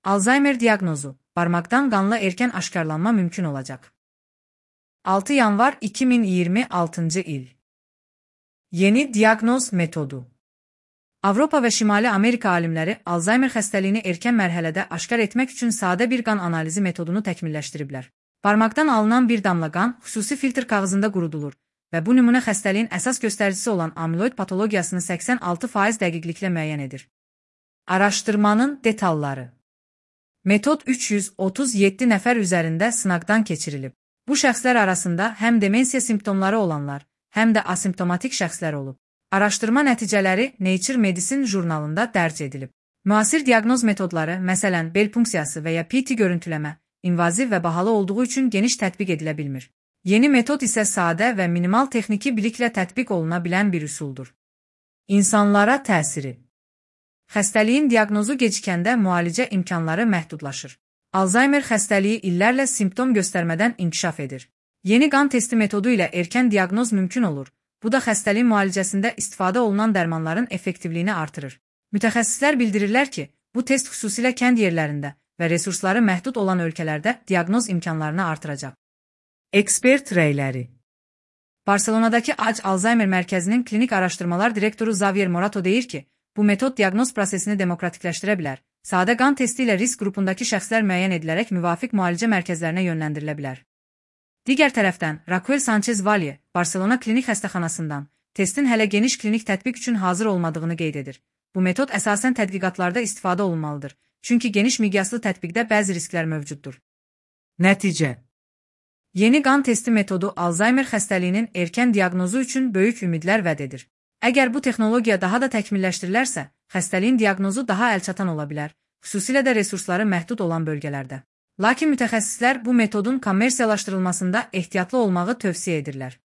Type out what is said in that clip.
Alzheimer diaqnozu, barmaqdan qanla erkən aşkarlanma mümkün olacaq. 6 yanvar 2026 il. Yeni diaqnoz metodu. Avropa və Şimali Amerika alimləri Alzheimer xəstəliyini erkən mərhələdə aşkar etmək üçün sadə bir qan analizi metodunu təkmilləşdiriblər. Barmaqdan alınan bir damla qan xüsusi filtr kağızında qurudulur və bu nümunə xəstəliyin əsas göstəricisi olan amiloid patologiyasını 86% dəqiqliklə müəyyən edir. Araşdırmanın detalları. Metod 337 nəfər üzərində sınaqdan keçirilib. Bu şəxslər arasında həm demensiya simptomları olanlar, həm də asimptomatik şəxslər olub. Araşdırma nəticələri Nature Medicine jurnalında dərc edilib. Müasir diaqnoz metodları, məsələn, bel punksiyası və ya PET görüntüləmə, invaziv və bahalı olduğu üçün geniş tətbiq edilə bilmir. Yeni metod isə sadə və minimal texniki biliklə tətbiq oluna bilən bir üsuldur. İnsanlara təsiri. Xəstəliyin diaqnozu gecikəndə müalicə imkanları məhdudlaşır. Alzheimer xəstəliyi illərlə simptom göstərmədən inkişaf edir. Yeni qan testi metodu ilə erkən diaqnoz mümkün olur. Bu da xəstəliyin müalicəsində istifadə olunan dərmanların effektivliyini artırır. Mütəxəssislər bildirirlər ki, bu test xüsusilə kənd yerlərində və resursları məhdud olan ölkələrdə diaqnoz imkanlarını artıracaq. Ekspert rəyləri. Barselonadakı AC Alzheimer Mərkəzinin klinik araşdırmalar direktoru Xavier Morato deyir ki, bu metod diaqnoz prosesini demokratikləşdirə bilər. Sadə qan testi ilə risk qrupundakı şəxslər müəyyən edilərək müvafiq müalicə mərkəzlərinə yönləndirilə bilər. Digər tərəfdən, Raquel Sanchez Valle, Barselona klinik xəstəxanasından, testin hələ geniş klinik tətbiq üçün hazır olmadığını qeyd edir. Bu metod əsasən tədqiqatlarda istifadə olunmalıdır, çünki geniş miqyaslı tətbiqdə bəzi risklər mövcuddur. Nəticə. Yeni qan testi metodu Alzheimer xəstəliyinin erkən diaqnozu üçün böyük ümidlər vəd edir. Əgər bu texnologiya daha da təkmilləşdirilərsə, xəstəliyin diaqnozu daha əlçatan ola bilər, xüsusilə də resursları məhdud olan bölgələrdə. Lakin mütəxəssislər bu metodun kommersiyalaşdırılmasında ehtiyatlı olmağı tövsiyə edirlər.